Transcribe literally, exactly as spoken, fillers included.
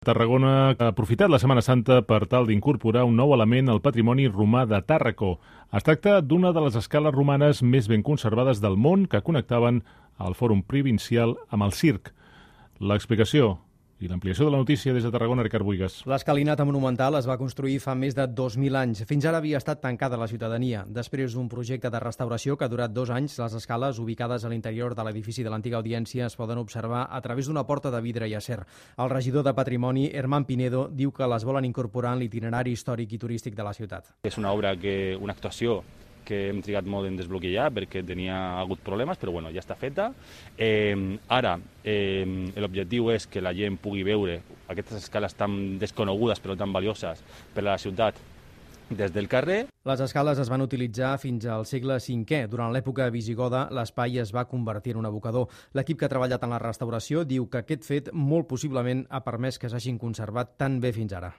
Tarragona ha aprofitat la Setmana Santa per tal d'incorporar un nou element al patrimoni romà de Tàrraco. Es tracta d'una de les escales romanes més ben conservades del món que connectaven el Fòrum Provincial amb el circ. L'explicació i l'ampliació de la notícia des de Tarragona, Ricard Buigas. L'escalinata monumental es va construir fa més de dos mil anys. Fins ara havia estat tancada a la ciutadania. Després d'un projecte de restauració que ha durat dos anys, les escales ubicades a l'interior de l'edifici de l'antiga audiència es poden observar a través d'una porta de vidre i acer. El regidor de Patrimoni, Herman Pinedo, diu que les volen incorporar en l'itinerari històric i turístic de la ciutat. És una obra, que una actuació que hem trigat molt en desbloquejar perquè tenia hagut problemes, però bueno, ja està feta. Eh, ara, eh, l'objectiu és que la gent pugui veure aquestes escales tan desconegudes però tan valioses per a la ciutat des del carrer. Les escales es van utilitzar fins al segle cinquè. Durant l'època visigoda, l'espai es va convertir en un abocador. L'equip que ha treballat en la restauració diu que aquest fet molt possiblement ha permès que s'hagin conservat tan bé fins ara.